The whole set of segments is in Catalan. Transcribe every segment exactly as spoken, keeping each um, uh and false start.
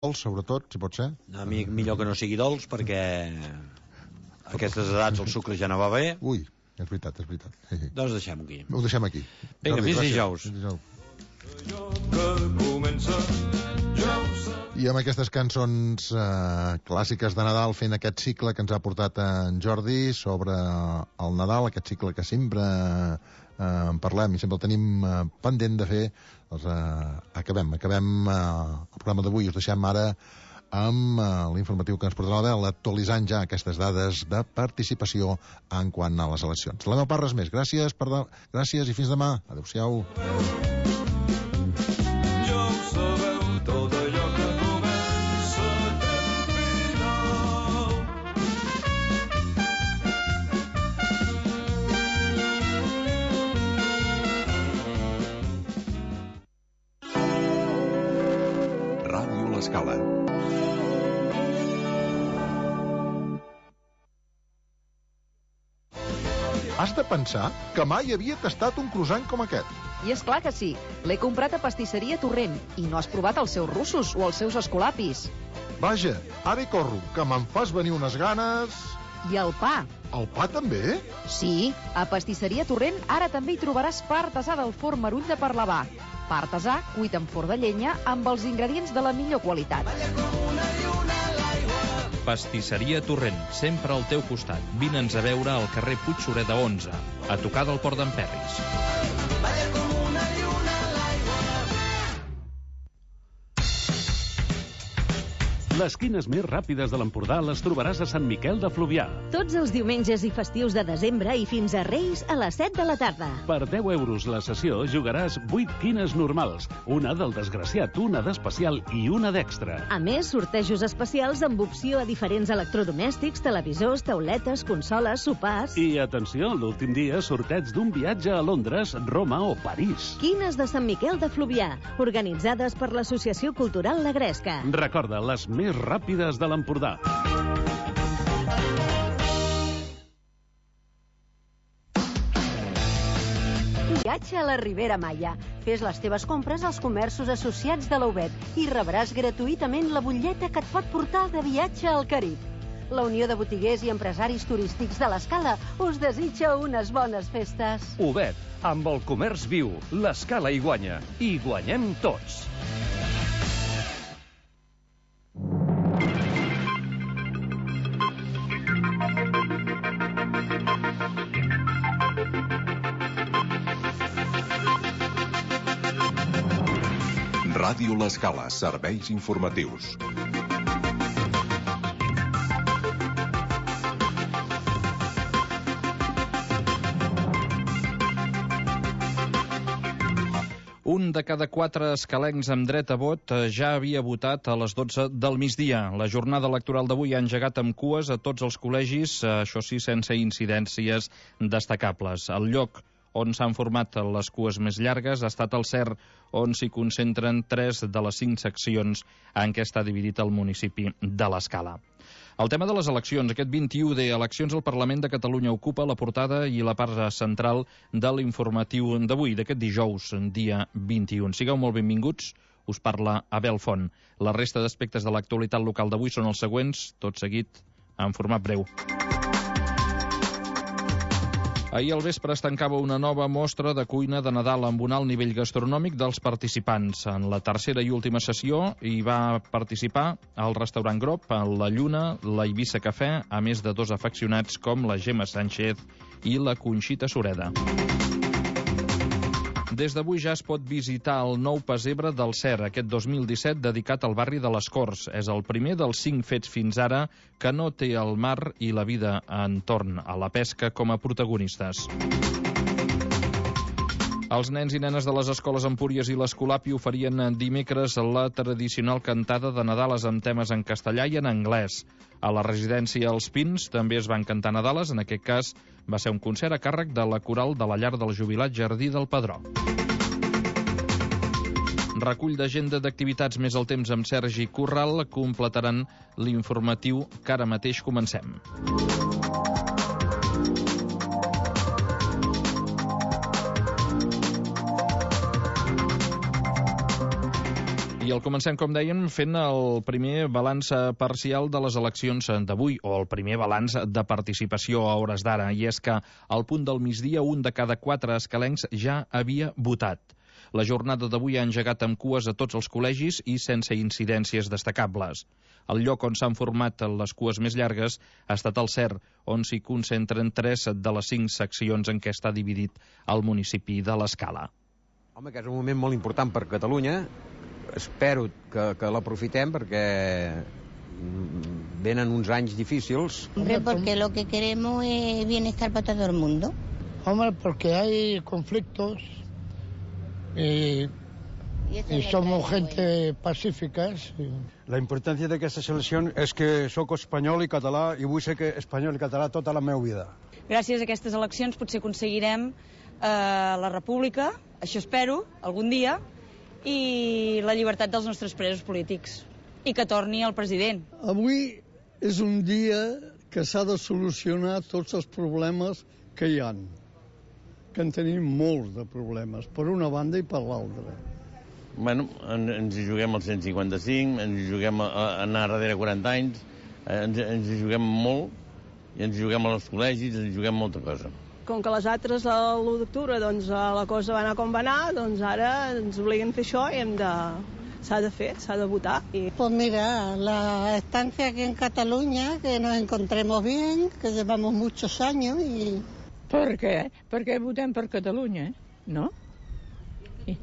dolç, sobretot, si pot ser. A mi millor que no sigui dolç, perquè a aquestes edats el sucre ja no va bé. Ui, és veritat, és veritat. Doncs deixem-ho aquí. Ho deixem aquí. Vinga, fins dijous. I amb aquestes cançons eh, clàssiques de Nadal, fent aquest cicle que ens ha portat en Jordi sobre el Nadal, aquest cicle que sempre eh, en parlem i sempre el tenim eh, pendent de fer, doncs eh, acabem, acabem eh, el programa d'avui. Us deixem ara amb eh, l'informatiu que ens portarà la Bel, actualitzant ja aquestes dades de participació en quant a les eleccions. La meva part, res més. Gràcies, per de... Gràcies i fins demà. Adéu-siau. Escala. Has de pensar que mai havia tastat un croissant com aquest. I és clar que sí. L'he comprat a Pastisseria Torrent i no has provat els seus russos o els seus escolapis. Vaja, ara hi corro, que me'n fas venir unes ganes... I el pa. El pa també? Sí, a Pastisseria Torrent ara també hi trobaràs pa artesà del forn Marull de Parlavà. Pa artesà, cuit en forn de llenya, amb els ingredients de la millor qualitat. Pastisseria Torrent, sempre al teu costat. Vine'ns a veure al carrer Puigsureda onze, a tocar del Port d'en Ferris. Les quines més ràpides de l'Empordà les trobaràs a Sant Miquel de Fluvià. Tots els diumenges i festius de desembre i fins a Reis a les set de la tarda. Per deu euros la sessió jugaràs vuit quines normals, una del desgraciat, una d'especial i una d'extra. A més, sortejos especials amb opció a diferents electrodomèstics, televisors, tauletes, consoles, sopars... I atenció, l'últim dia sorteig d'un viatge a Londres, Roma o París. Quines de Sant Miquel de Fluvià, organitzades per l'Associació Cultural La Gresca. Recorda, les més ràpides de l'Empordà. Viatge a la Ribera Maya. Fes les teves compres als comerços associats de l'Aubet i rebràs gratuïtament la butlleta que et pot portar de viatge al Carib. La Unió de Botiguers i Empresaris Turístics de l'Escala us desitja unes bones festes. Aubet, amb el comerç viu, l'Escala hi guanya. I guanyem tots. Ràdio L'Escala, serveis informatius. Un de cada quatre escalencs amb dret a vot ja havia votat a les dotze del migdia. La jornada electoral d'avui ha engegat amb cues a tots els col·legis, això sí, sense incidències destacables. El lloc on s'han format les cues més llargues ha estat el C E R, on s'hi concentren tres de les cinc seccions en què està dividit el municipi de l'Escala. El tema de les eleccions, aquest vint-i-u de eleccions al Parlament de Catalunya, ocupa la portada i la part central de l'informatiu d'avui, d'aquest dijous, dia vint-i-u. Sigueu molt benvinguts, us parla Abel Font. La resta d'aspectes de l'actualitat local d'avui són els següents, tot seguit en format breu. Ahir al vespre es tancava una nova mostra de cuina de Nadal amb un alt nivell gastronòmic dels participants. En la tercera i última sessió hi va participar el restaurant Grop, la Lluna, la Eivissa Cafè, a més de dos afeccionats com la Gemma Sánchez i la Conxita Sureda. Des d'avui ja es pot visitar el nou pessebre del C E R, aquest dos mil disset dedicat al barri de les Corts. És el primer dels cinc fets fins ara que no té el mar i la vida entorn a la pesca com a protagonistes. Els nens i nenes de les escoles Empúries i l'Escolapi oferien dimecres la tradicional cantada de Nadales amb temes en castellà i en anglès. A la residència Els Pins també es van cantar Nadales, en aquest cas va ser un concert a càrrec de la coral de la llar del jubilat Jardí del Pedró. Recull d'agenda d'activitats més el temps amb Sergi Corral completaran l'informatiu que ara mateix comencem. I I el comencem, com dèiem, fent el primer balanç parcial de les eleccions d'avui, o el primer balanç de participació a hores d'ara, i és que al punt del migdia un de cada quatre escalencs ja havia votat. La jornada d'avui ha engegat amb cues a tots els col·legis i sense incidències destacables. El lloc on s'han format les cues més llargues ha estat el C E R, on s'hi concentren tres de les cinc seccions en què està dividit el municipi de l'Escala. Home, que és un moment molt important per Catalunya. Espero que, que l'aprofitem perquè venen uns anys difícils. Hombre, porque lo que queremos es bienestar para todo el mundo. Hombre, porque hay conflictos y, y somos gente pacífica. Sí. La importància d'aquesta selecció és que sóc espanyol i català i vull ser que espanyol i català tota la meva vida. Gràcies a aquestes eleccions potser aconseguirem eh, la república, això espero, algun dia, i la llibertat dels nostres presos polítics, i que torni el president. Avui és un dia que s'ha de solucionar tots els problemes que hi ha, que en tenim molts de problemes, per una banda i per l'altra. Bueno, en, ens hi juguem el cent cinquanta-cinc, ens hi juguem a, a anar darrere quaranta anys, ens, ens hi juguem molt, i ens hi juguem als col·legis, ens hi juguem molta cosa. Com que les altres a l'u d'octubre doncs, la cosa va anar com va anar, doncs ara ens obliguen a fer això i hem de... s'ha de fer, s'ha de votar. Y... Pues mira, la estancia aquí en Cataluña, que nos encontremos bien, que llevamos muchos años y... Per què? Perquè votem per Catalunya, no? Sí.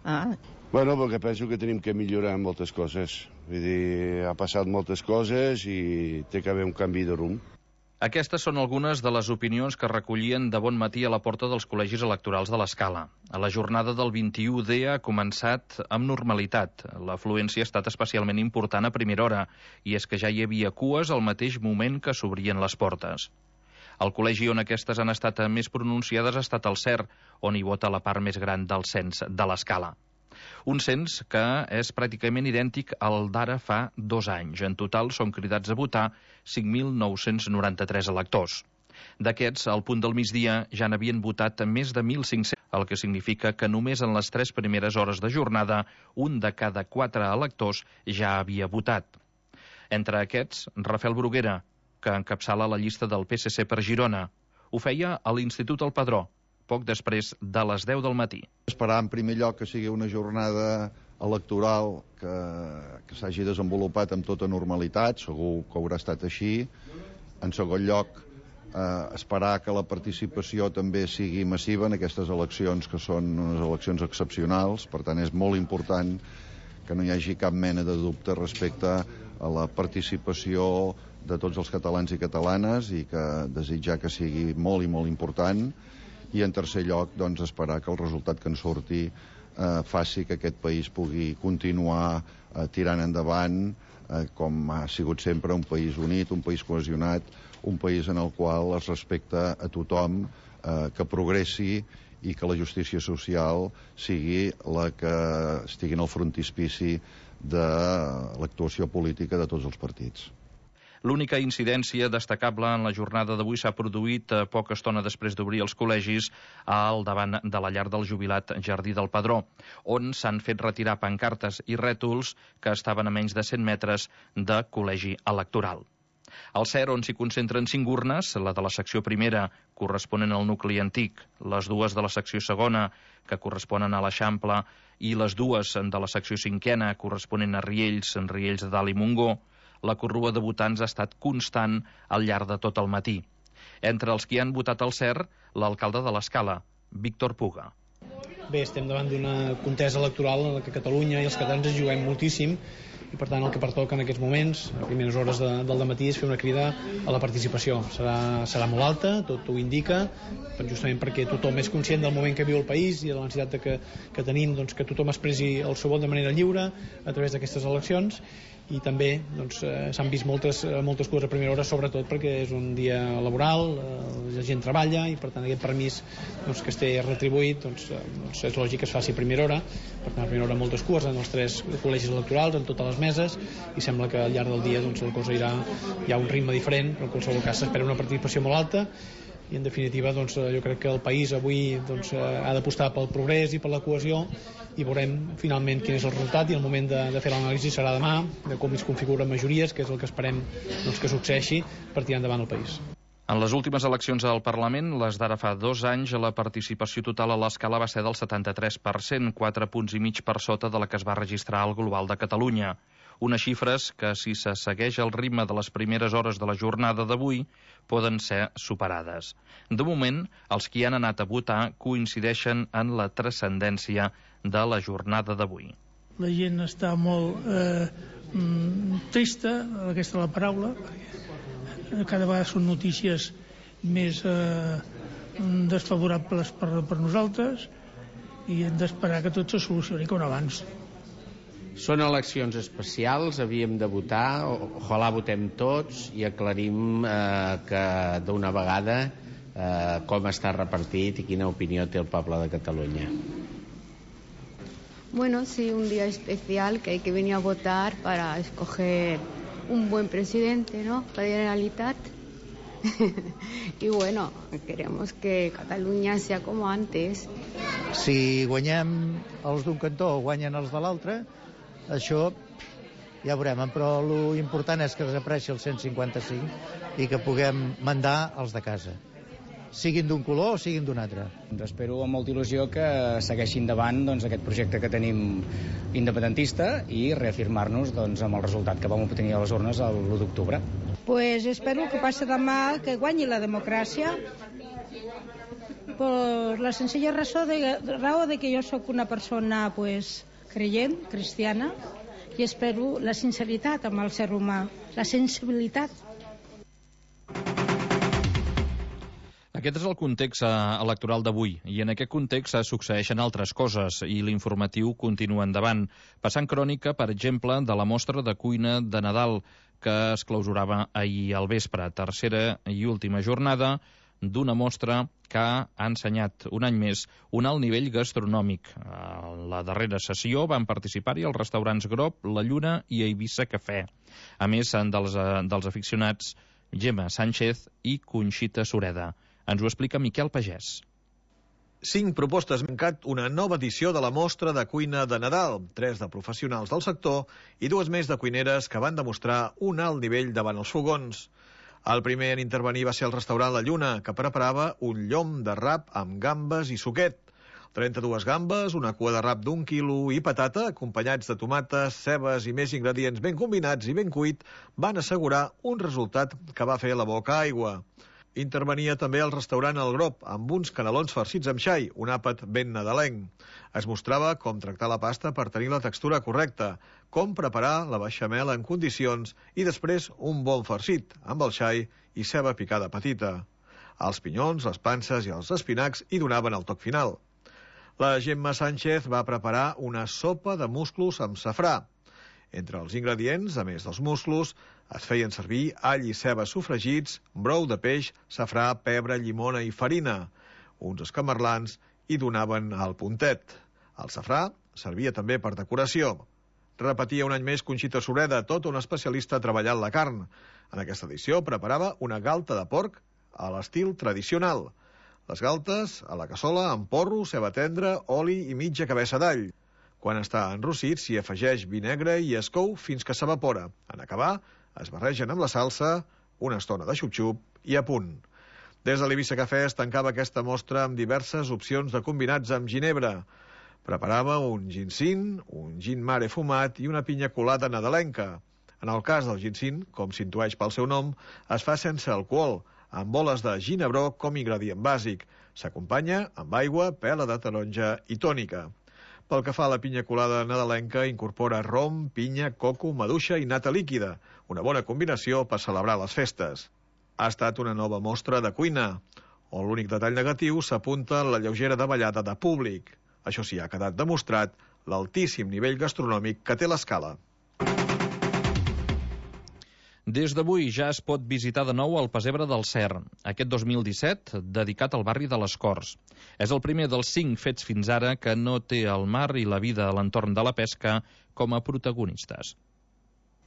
Ah. Bueno, perquè penso que tenim que millorar moltes coses. Vull dir, ha passat moltes coses i té que haver un canvi de rumb. Aquestes són algunes de les opinions que recollien de bon matí a la porta dels col·legis electorals de l'Escala. La jornada del vint-i-u D ha començat amb normalitat. L'afluència ha estat especialment important a primera hora, i és que ja hi havia cues al mateix moment que s'obrien les portes. El col·legi on aquestes han estat més pronunciades ha estat el C E R, on hi vota la part més gran del cens de l'Escala. Un cens que és pràcticament idèntic al d'ara fa dos anys. En total són cridats a votar cinc mil nou-cents noranta-tres electors. D'aquests, al punt del migdia ja n'havien votat més de mil cinc-cents, el que significa que només en les tres primeres hores de jornada un de cada quatre electors ja havia votat. Entre aquests, Rafael Bruguera, que encapçala la llista del P S C per Girona. Ho feia a l'Institut El Padró, poc després de les deu del matí. Esperar en primer lloc que sigui una jornada electoral que, que s'hagi desenvolupat amb tota normalitat, segur que haurà estat així. En segon lloc, eh, esperar que la participació també sigui massiva en aquestes eleccions, que són unes eleccions excepcionals. Per tant, és molt important que no hi hagi cap mena de dubte respecte a la participació de tots els catalans i catalanes i que desitjar que sigui molt i molt important. I en tercer lloc, doncs, esperar que el resultat que en surti eh, faci que aquest país pugui continuar eh, tirant endavant eh, com ha sigut sempre un país unit, un país cohesionat, un país en el qual es respecta a tothom, eh, que progressi i que la justícia social sigui la que estigui en el frontispici de l'actuació política de tots els partits. L'única incidència destacable en la jornada d'avui s'ha produït a poca estona després d'obrir els col·legis al davant de la llar del jubilat Jardí del Padró, on s'han fet retirar pancartes i rètols que estaven a menys de cent metres de col·legi electoral. Al C E R, on s'hi concentren cinc urnes, la de la secció primera, corresponent al nucli antic, les dues de la secció segona, que corresponen a l'Eixample, i les dues de la secció cinquena, corresponent a Riells, en Riells de Dalt i Montgó, la corrua de votants ha estat constant al llarg de tot el matí. Entre els que han votat al C E R, l'alcalde de l'Escala, Víctor Puga. Bé, estem davant d'una contesa electoral en la que Catalunya i els catalans es juguem moltíssim i per tant el que pertoca en aquests moments, a primeres hores de, del dematí, és fer una crida a la participació. Serà, serà molt alta, tot ho indica, justament perquè tothom és conscient del moment que viu el país i de la necessitat de que, que tenim doncs, que tothom expressi el seu vot de manera lliure a través d'aquestes eleccions. I també doncs, eh, s'han vist moltes, moltes coses a primera hora, sobretot perquè és un dia laboral, eh, la gent treballa i per tant aquest permís doncs, que es té retribuït doncs, eh, doncs és lògic que es faci a primera hora. Per tant, a primera hora moltes cures en els tres col·legis electorals, en totes les meses, i sembla que al llarg del dia doncs, la cosa irà, hi ha un ritme diferent, però en qualsevol cas s'espera una participació molt alta i en definitiva doncs, jo crec que el país avui doncs, ha d'apostar pel progrés i per la cohesió, i veurem finalment quin és el resultat, i el moment de, de fer l'anàlisi serà demà, de com es configuren majories, que és el que esperem doncs, que succeeixi per tirar endavant el país. En les últimes eleccions al Parlament, les d'ara fa dos anys, la participació total a l'escala va ser del setanta-tres per cent, quatre punts i mig per sota de la que es va registrar al global de Catalunya. Unes xifres que, si se segueix el ritme de les primeres hores de la jornada d'avui, poden ser superades. De moment, els qui han anat a votar coincideixen en la transcendència de la jornada d'avui. La gent està molt eh, trista, aquesta és la paraula, cada vegada són notícies més eh, desfavorables per, per nosaltres, i hem d'esperar que tot se solucioni com abans. Són eleccions especials, havíem de votar, ojalà votem tots i aclarim eh, que d'una vegada eh, com està repartit i quina opinió té el poble de Catalunya. Bueno, sí, un día especial que hay que venir a votar para escoger un buen presidente, ¿no? Para la Generalitat. Y bueno, queremos que Catalunya sea como antes. Si guanyem els d'un cantó o guanyen els de l'altre, això ja veurem, però l'important és que desapareixi el cent cinquanta-cinc i que puguem mandar els de casa, siguin d'un color o siguin d'un altre. Espero amb molta il·lusió que segueixi endavant doncs, aquest projecte que tenim independentista i reafirmar-nos doncs, amb el resultat que vam obtenir a les urnes l'u d'octubre. Pues espero que passi demà, que guanyi la democràcia, per la senzilla raó de, raó de que jo sóc una persona pues, creient, cristiana, i espero la sinceritat amb el ser humà, la sensibilitat. Aquest és el context electoral d'avui, i en aquest context succeeixen altres coses, i l'informatiu continua endavant, passant crònica, per exemple, de la mostra de cuina de Nadal, que es clausurava ahir al vespre, tercera i última jornada d'una mostra que ha ensenyat un any més un alt nivell gastronòmic. A la darrera sessió van participar-hi els restaurants Grob, La Lluna i Eivissa Cafè. A més, dels, dels aficionats Gemma Sánchez i Conxita Sureda. Ens ho explica Miquel Pagès. Cinc propostes han mancat una nova edició de la mostra de cuina de Nadal, tres de professionals del sector i dues més de cuineres que van demostrar un alt nivell davant els fogons. El primer en intervenir va ser el restaurant La Lluna, que preparava un llom de rap amb gambes i suquet. trenta-dues gambes, una cua de rap d'un quilo i patata, acompanyats de tomates, cebes i més ingredients ben combinats i ben cuit, van assegurar un resultat que va fer la boca aigua. Intervenia també el restaurant El Grob, amb uns canelons farcits amb xai, un àpat ben nadalenc. Es mostrava com tractar la pasta per tenir la textura correcta, com preparar la beixamel en condicions i després un bon farcit, amb el xai i ceba picada petita. Els pinyons, les panses i els espinacs hi donaven el toc final. La Gemma Sánchez va preparar una sopa de musclos amb safrà. Entre els ingredients, a més dels musclos, es feien servir all i ceba sofregits, brou de peix, safrà, pebre, llimona i farina. Uns escamarlans hi donaven el puntet. El safrà servia també per decoració. Repetia un any més Conxita Sureda, tota una especialista treballant la carn. En aquesta edició preparava una galta de porc a l'estil tradicional. Les galtes a la cassola amb porro, ceba tendra, oli i mitja cabeça d'all. Quan està enrossit, s'hi afegeix vi negre i es cou fins que s'evapora. En acabar, es barregen amb la salsa, una estona de xup-xup i a punt. Des de l'Eivissa Cafè es tancava aquesta mostra amb diverses opcions de combinats amb ginebra. Preparava un ginsín, un gin mare fumat i una pinya colada nadalenca. En el cas del ginsín, com s'intueix pel seu nom, es fa sense alcohol, amb boles de ginebró com ingredient bàsic. S'acompanya amb aigua, pela de taronja i tònica. Pel que fa a la pinya colada nadalenca, incorpora rom, pinya, coco, maduixa i nata líquida, una bona combinació per celebrar les festes. Ha estat una nova mostra de cuina, on l'únic detall negatiu s'apunta en la lleugera davallada de públic. Això sí, ha quedat demostrat l'altíssim nivell gastronòmic que té l'escala. Des d'avui ja es pot visitar de nou el Pessebre del Cer, aquest dos mil disset dedicat al barri de les Corts. És el primer dels cinc fets fins ara que no té el mar i la vida a l'entorn de la pesca com a protagonistes.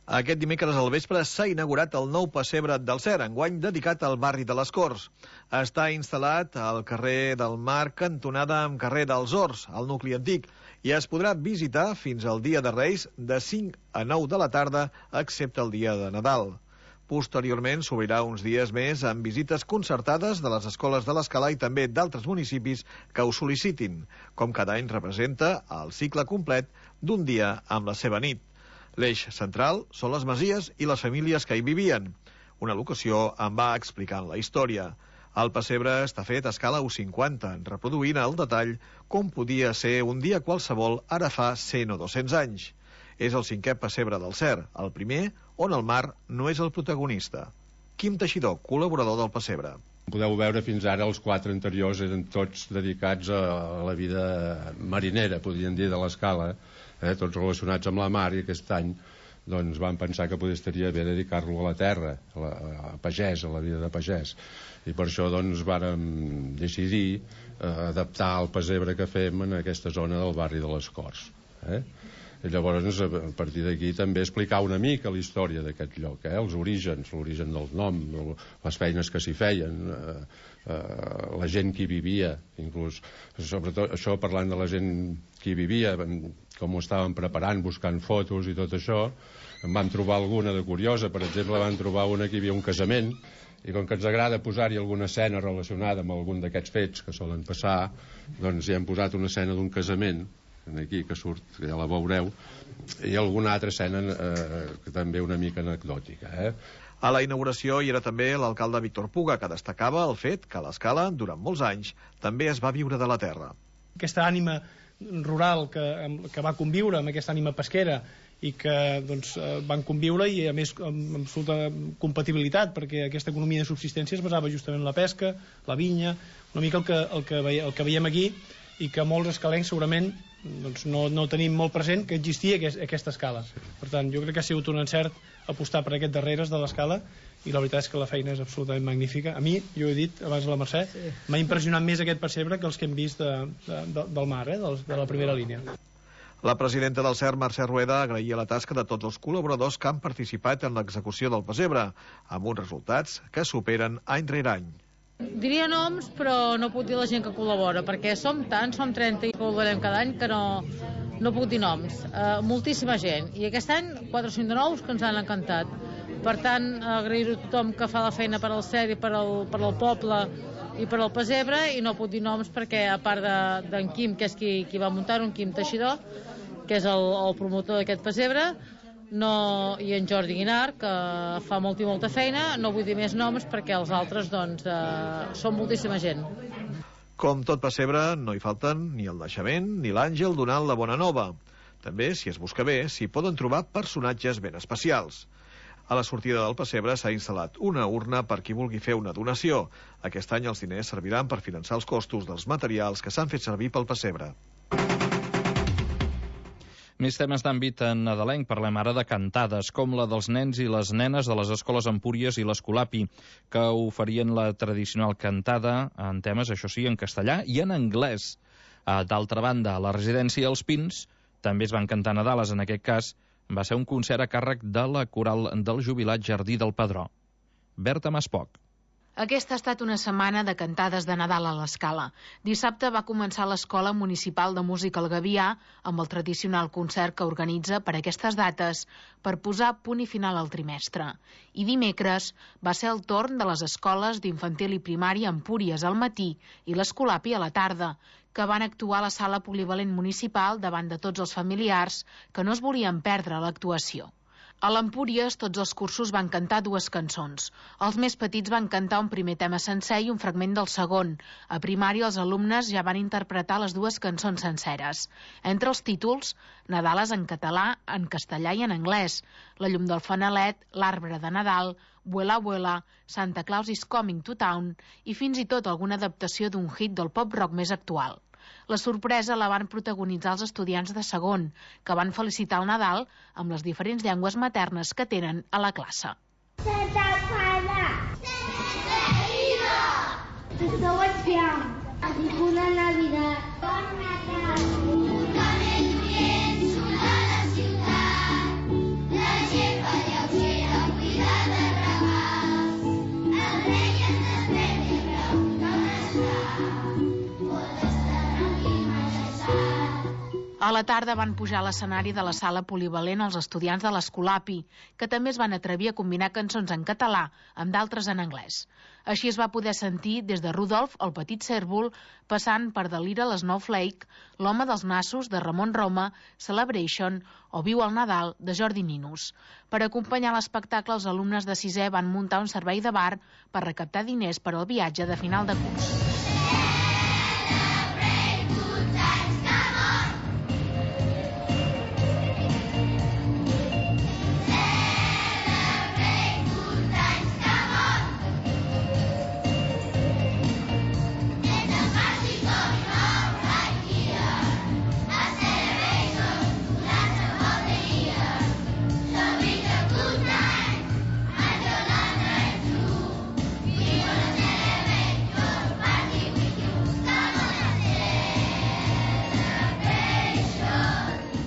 Aquest dimecres al vespre s'ha inaugurat el nou pessebre del Cer, enguany dedicat al barri de les Corts. Està instal·lat al carrer del Mar, cantonada amb carrer dels Horts, al nucli antic, i es podrà visitar fins al dia de Reis de cinc a nou de la tarda, excepte el dia de Nadal. Posteriorment s'obrirà uns dies més amb visites concertades de les escoles de l'Escala i també d'altres municipis que ho sol·licitin, com cada any representa el cicle complet d'un dia amb la seva nit. L'eix central són les masies i les famílies que hi vivien. Una locució en va explicant la història. El pessebre està fet a escala u cinquanta, reproduint al detall com podia ser un dia qualsevol ara fa cent o dos-cents anys. És el cinquè pessebre del Cer, el primer on el mar no és el protagonista. Quim Teixidor, col·laborador del pessebre. Podeu veure fins ara els quatre anteriors eren tots dedicats a la vida marinera, podríem dir, de l'Escala, eh? Tots relacionats amb la mar, i aquest any doncs, vam pensar que potser estaria bé dedicar-lo a la terra, a, la, a pagès, a la vida de pagès. I per això doncs, vàrem decidir eh, adaptar el pessebre que fem en aquesta zona del barri de les Corts. Eh? I llavors, a partir d'aquí, també explicar una mica la història d'aquest lloc, eh? Els orígens, l'origen del nom, les feines que s'hi feien, eh, eh, la gent que hi vivia, inclús, sobretot això parlant de la gent que hi vivia, com ho estaven preparant, buscant fotos i tot això, en vam trobar alguna de curiosa. Per exemple, vam trobar una que hi havia un casament, i com que ens agrada posar-hi alguna escena relacionada amb algun d'aquests fets que solen passar, doncs hi hem posat una escena d'un casament, aquí que surt, que ja la veureu, i alguna altra escena eh, que també una mica anecdòtica. Eh? A la inauguració hi era també l'alcalde Víctor Puga, que destacava el fet que l'Escala, durant molts anys, també es va viure de la terra. Aquesta ànima rural que, que va conviure amb aquesta ànima pesquera i que doncs, van conviure i a més amb absoluta compatibilitat, perquè aquesta economia de subsistència es basava justament en la pesca, la vinya, una mica el que, el que, veiem, el que veiem aquí, i que molts escalencs segurament doncs, no, no tenim molt present que existia aquest, aquesta escala. Per tant, jo crec que ha sigut un encert apostar per aquest darreres de l'escala, i la veritat és que la feina és absolutament magnífica. A mi, jo he dit abans a la Mercè, sí. M'ha impressionat més aquest pessebre que els que hem vist de, de, de, del mar, eh, de, de la primera línia. La presidenta del Cer, Mercè Rueda, agraïa la tasca de tots els col·laboradors que han participat en l'execució del pessebre, amb uns resultats que superen any rere any. Diria noms, però no puc dir la gent que col·labora, perquè som tants, som trenta i col·laborem cada any, que no, no puc dir noms. Uh, moltíssima gent. I aquest any, quatre o cinc de nous que ens han encantat. Per tant, agrair-ho a tothom que fa la feina per al Cer i per al, per al poble i per al pessebre, i no puc dir noms perquè, a part d'en de, Quim, que és qui, qui va muntar-ho, en Quim Teixidor, que és el, el promotor d'aquest pessebre, no, i en Jordi Guinar, que fa molta i molta feina. No vull dir més noms perquè els altres doncs, eh, són moltíssima gent. Com tot pessebre, no hi falten ni el naixement ni l'àngel donant la bona nova. També, si es busca bé, s'hi poden trobar personatges ben especials. A la sortida del pessebre s'ha instal·lat una urna per qui vulgui fer una donació. Aquest any els diners serviran per finançar els costos dels materials que s'han fet servir pel pessebre. Més temes d'àmbit nadalenc. Parlem ara de cantades, com la dels nens i les nenes de les escoles Empúries i l'Escolapi, que oferien la tradicional cantada en temes, això sí, en castellà i en anglès. D'altra banda, a la residència Els Pins també es van cantar nadales. En aquest cas, va ser un concert a càrrec de la coral del jubilat Jardí del Pedró. Berta Maspoc. Aquesta ha estat una setmana de cantades de Nadal a l'Escala. Dissabte va començar l'Escola Municipal de Música El Gavià amb el tradicional concert que organitza per aquestes dates per posar punt i final al trimestre. I dimecres va ser el torn de les escoles d'infantil i primària Empúries al matí i l'Escolapi a la tarda, que van actuar a la sala polivalent municipal davant de tots els familiars que no es volien perdre l'actuació. A l'Empúries tots els cursos van cantar dues cançons. Els més petits van cantar un primer tema sencer i un fragment del segon. A primària els alumnes ja van interpretar les dues cançons senceres. Entre els títols, Nadales en català, en castellà i en anglès, La llum del fanalet, L'arbre de Nadal, Vuela, vuela, Santa Claus is coming to town i fins i tot alguna adaptació d'un hit del pop-rock més actual. La sorpresa la van protagonitzar els estudiants de segon, que van felicitar el Nadal amb les diferents llengües maternes que tenen a la classe. Santa Clara! Santa Ida! Esteu espiant! Dic una Navidad! Bon Nadal! Con el viento a la ciutat, la lleva A la tarda van pujar a l'escenari de la sala polivalent els estudiants de l'Escolapi, que també es van atrevir a combinar cançons en català amb d'altres en anglès. Així es va poder sentir des de Rudolf, el petit cèrvol, passant per The Little Snowflake, L'home dels nassos, de Ramon Roma, Celebration o Viu el Nadal, de Jordi Ninus. Per acompanyar l'espectacle, els alumnes de sisè van muntar un servei de bar per recaptar diners per al viatge de final de curs.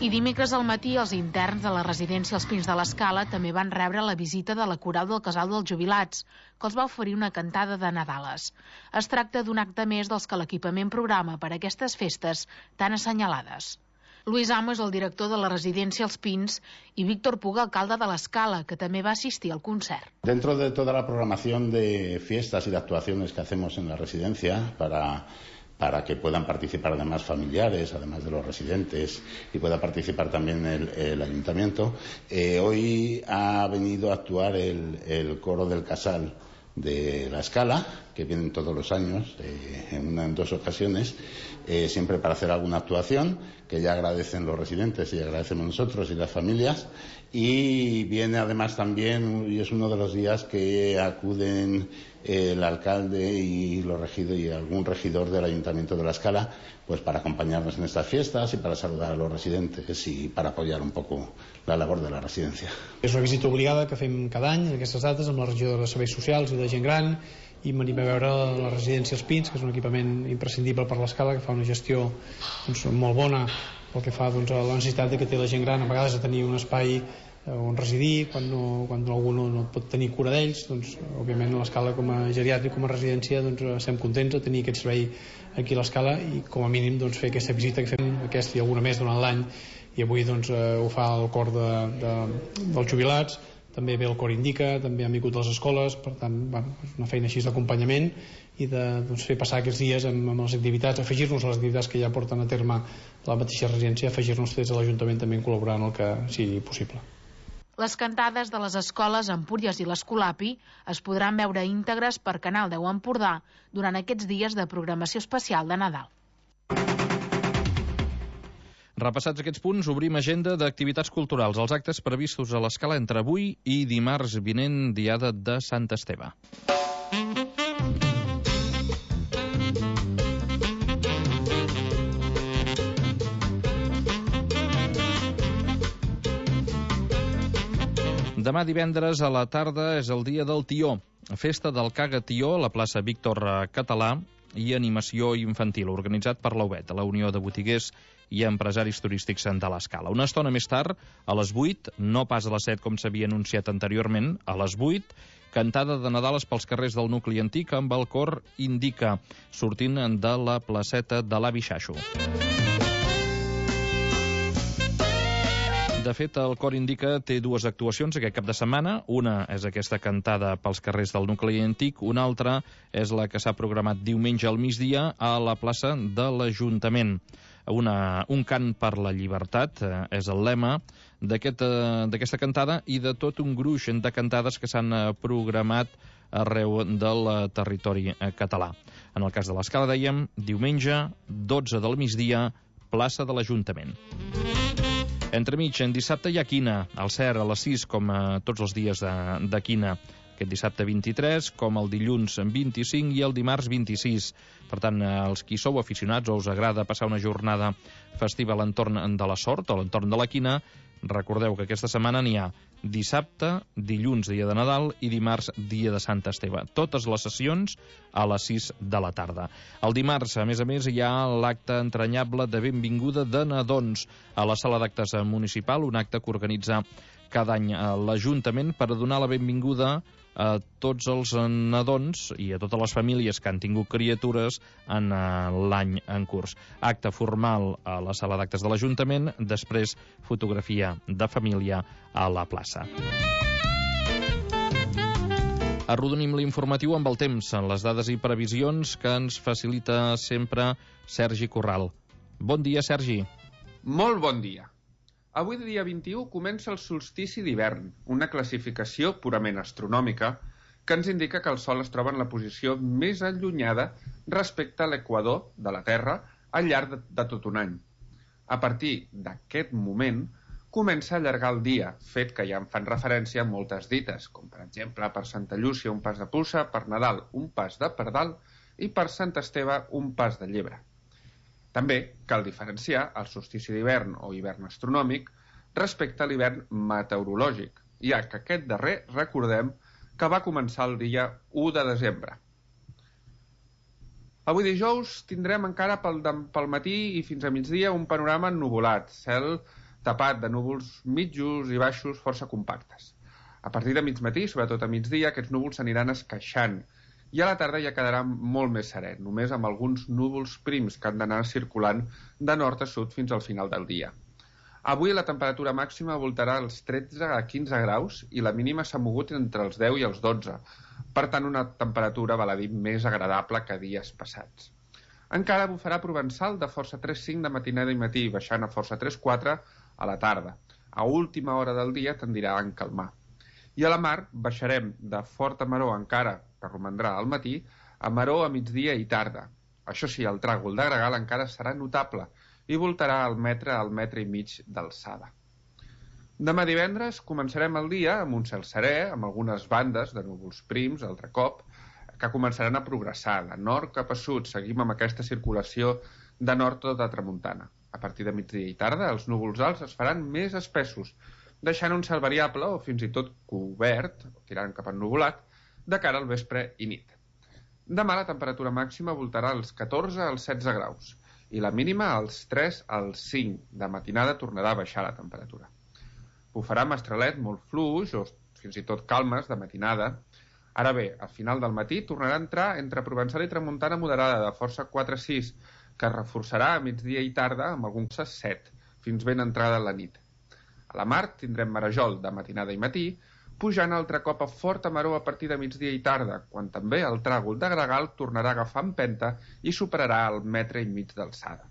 I dimecres al matí, els interns de la residència Els Pins de l'Escala també van rebre la visita de la coral del Casal dels Jubilats, que els va oferir una cantada de Nadales. Es tracta d'un acte més dels que l'equipament programa per a aquestes festes tan assenyalades. Luis Amo és el director de la residència Els Pins i Víctor Puga, alcalde de l'Escala, que també va assistir al concert. Dentro de toda la programación de fiestas y de actuaciones que hacemos en la residencia para... para que puedan participar además familiares, además de los residentes, y pueda participar también el, el ayuntamiento. Eh, hoy ha venido a actuar el, el coro del Casal de la Escala, que vienen todos los años, eh, en, una, en dos ocasiones, eh, siempre para hacer alguna actuación, que ya agradecen los residentes y agradecemos nosotros y las familias. Y viene además también, y es uno de los días que acuden eh, el alcalde y los regidores y algún regidor del Ayuntamiento de la Escala, pues para acompañarnos en estas fiestas y para saludar a los residentes y para apoyar un poco la labor de la residencia. És una visita obligada que fem cada any en aquestes dates amb la regidora de Serveis Socials i de Gent Gran, i venim a veure la residència Els Pins, que és un equipament imprescindible per l'Escala, que fa una gestió doncs, molt bona pel que fa doncs, a la necessitat que té la gent gran a vegades de tenir un espai on residir quan, no, quan algú no, no pot tenir cura d'ells. Doncs, òbviament a l'Escala com a geriàtric, com a residència, doncs, estem contents de tenir aquest servei aquí a l'Escala i com a mínim doncs, fer aquesta visita que fem, aquesta i alguna més durant l'any, i avui doncs, eh, ho fa el cor de, de, dels jubilats, també ve el cor Indica, també han vingut les escoles, per tant, bueno, és una feina així d'acompanyament i de doncs, fer passar aquests dies amb, amb les activitats, afegir-nos a les activitats que ja porten a terme la mateixa residència, afegir-nos des de l'Ajuntament també en col·laborar en el que sigui possible. Les cantades de les escoles Empúries i l'Escolapi es podran veure íntegres per Canal deu Empordà durant aquests dies de programació especial de Nadal. Repassats aquests punts, obrim agenda d'activitats culturals. Els actes previstos a l'Escala entre avui i dimarts vinent, diada de Sant Esteve. Demà divendres a la tarda és el dia del Tió, festa del Caga Tió a la plaça Víctor Català i animació infantil, organitzat per l'U B E T, la Unió de Botiguers i Empresaris Turístics de l'Escala. Una estona més tard, a les vuit, no pas a les set com s'havia anunciat anteriorment, a les vuit, cantada de Nadales pels carrers del nucli antic amb el cor Indica, sortint de la placeta de l'Avi Xaxo. De fet, el cor Indica té dues actuacions aquest cap de setmana. Una és aquesta cantada pels carrers del nucli antic, una altra és la que s'ha programat diumenge al migdia a la plaça de l'Ajuntament. Una, un cant per la llibertat eh, és el lema d'aquesta aquest, cantada i de tot un gruix de cantades que s'han programat arreu del territori català. En el cas de l'Escala, dèiem, diumenge, dotze del migdia, plaça de l'Ajuntament. Entremig, en dissabte hi ha quina, al C E R a les sis, com a tots els dies de, de quina. Aquest dissabte vint-i-tres, com el dilluns vint-i-cinc i el dimarts vint-i-sis. Per tant, els qui sou aficionats o us agrada passar una jornada festiva a l'entorn de la Sort o a l'entorn de la quina, recordeu que aquesta setmana n'hi ha dissabte, dilluns, dia de Nadal, i dimarts, dia de Sant Esteve. Totes les sessions a les sis de la tarda. El dimarts, a més a més, hi ha l'acte entranyable de benvinguda de nadons a la sala d'actes municipal, un acte que organitza cada any l'Ajuntament per donar la benvinguda a tots els nadons i a totes les famílies que han tingut criatures en l'any en curs. Acte formal a la sala d'actes de l'Ajuntament, després fotografia de família a la plaça. Arrodonim l'informatiu amb el temps, les dades i previsions que ens facilita sempre Sergi Corral. Bon dia, Sergi. Molt bon dia. Avui, dia vint-i-u, comença el solstici d'hivern, una classificació purament astronòmica que ens indica que el Sol es troba en la posició més allunyada respecte a l'equador de la Terra al llarg de, de tot un any. A partir d'aquest moment, comença a allargar el dia, fet que ja en fan referència a moltes dites, com per exemple per Santa Llúcia un pas de puça, per Nadal un pas de pardal i per Sant Esteve un pas de llebre. També cal diferenciar el solstici d'hivern o hivern astronòmic respecte a l'hivern meteorològic, ja que aquest darrer, recordem, que va començar el dia u de desembre. Avui dijous tindrem encara pel, pel matí i fins a migdia un panorama ennuvolat, cel tapat de núvols mitjos i baixos força compactes. A partir de mig matí, sobretot a migdia, aquests núvols s'aniran esqueixant i a la tarda ja quedarà molt més serè, només amb alguns núvols prims que han d'anar circulant de nord a sud fins al final del dia. Avui la temperatura màxima voltarà als tretze a quinze graus i la mínima s'ha mogut entre els deu i els dotze, per tant una temperatura, val a dir, més agradable que dies passats. Encara bufarà provençal de força tres cinc de matinada i matí, baixant a força tres quatre a la tarda. A última hora del dia tendirà a encalmar. I a la mar baixarem de forta maror encara, que romandrà al matí, a maror a migdia i tarda. Això sí, el tràgol de gregal encara serà notable i voltarà al metre al metre i mig d'alçada. Demà divendres començarem el dia amb un cel serè, amb algunes bandes de núvols prims, altre cop, que començaran a progressar de nord cap a sud. Seguim amb aquesta circulació de nord tot a tramuntana. A partir de migdia i tarda, els núvols alts es faran més espessos, deixant un cel variable o fins i tot cobert, tirant cap ennuvolat, de cara al vespre i nit. Demà la temperatura màxima voltarà als catorze als setze graus i la mínima als tres als cinc. De matinada tornarà a baixar la temperatura. Bufarà mestralet molt fluix o fins i tot calmes de matinada. Ara bé, al final del matí tornarà a entrar entre provençal i tramuntana moderada de força quatre sis, que es reforçarà a migdia i tarda amb alguns set, fins ben entrada la nit. A la mar tindrem marejol de matinada i matí, pujant altre cop a forta maror a partir de migdia i tarda, quan també el tràgol de gregal tornarà a agafar empenta i superarà el metre i mig d'alçada.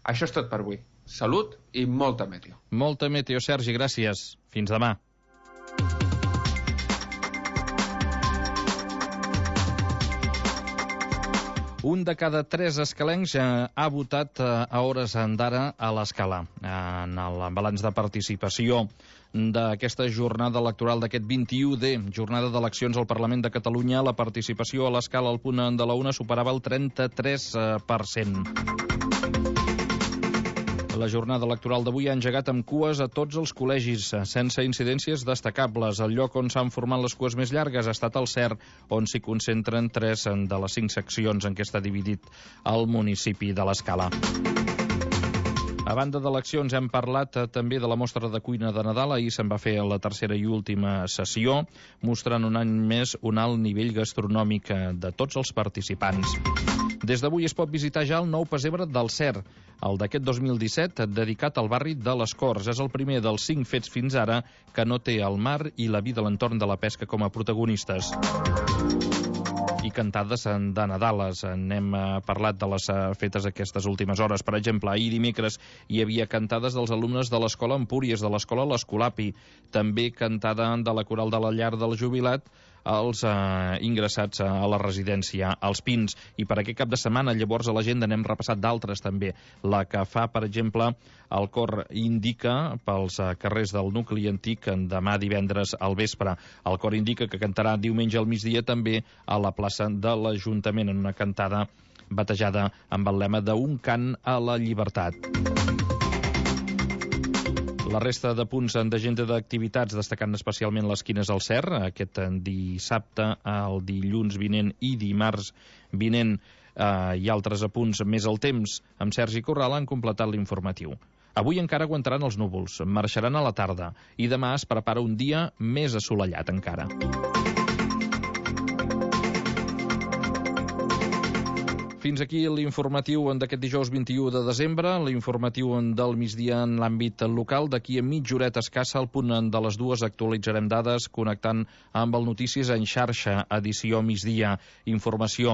Això és tot per avui. Salut i molta meteo. Molta meteo, Sergi, gràcies. Fins demà. Un de cada tres escalencs ha votat a hores d'ara a l'Escala. En el balanç de participació d'aquesta jornada electoral d'aquest vint-i-u de jornada d'eleccions al Parlament de Catalunya, la participació a l'Escala al punt de la una superava el trenta-tres per cent. La jornada electoral d'avui ha engegat amb cues a tots els col·legis, sense incidències destacables. El lloc on s'han format les cues més llargues ha estat el C E R, on s'hi concentren tres de les cinc seccions en què està dividit el municipi de l'Escala. A banda d'eleccions hem parlat també de la mostra de cuina de Nadal. Ahir se'n va fer la tercera i última sessió, mostrant un any més un alt nivell gastronòmic de tots els participants. Des d'avui es pot visitar ja el nou pessebre del Cer, el d'aquest dos mil disset, dedicat al barri de les Corts. És el primer dels cinc fets fins ara que no té el mar i la vida a l'entorn de la pesca com a protagonistes. I cantades de Nadales. N'hem parlat de les fetes aquestes últimes hores. Per exemple, ahir dimecres hi havia cantades dels alumnes de l'Escola Empúries, de l'Escola l'Escolapi, també cantada de la Coral de la Llar del Jubilat, els eh, ingressats a la residència als Pins. I per aquest cap de setmana, llavors, a l'agenda n'hem repassat d'altres també. La que fa, per exemple, el cor Indica pels eh, carrers del nucli antic demà divendres al vespre. El cor Indica que cantarà diumenge al migdia també a la plaça de l'Ajuntament en una cantada batejada amb el lema d'Un cant a la llibertat. La resta de punts d'agenda d'activitats, destacant especialment les quines al Cer, aquest dissabte, el dilluns vinent i dimarts vinent, eh, i altres apunts més al temps, amb Sergi Corral han completat l'informatiu. Avui encara aguantaran els núvols, marxaran a la tarda i demà es prepara un dia més assolellat encara. Fins aquí l'informatiu d'aquest dijous vint-i-u de desembre, l'informatiu del migdia en l'àmbit local. D'aquí a mitja horeta escassa, al punt de les dues, actualitzarem dades connectant amb el Notícies en xarxa, edició migdia, informació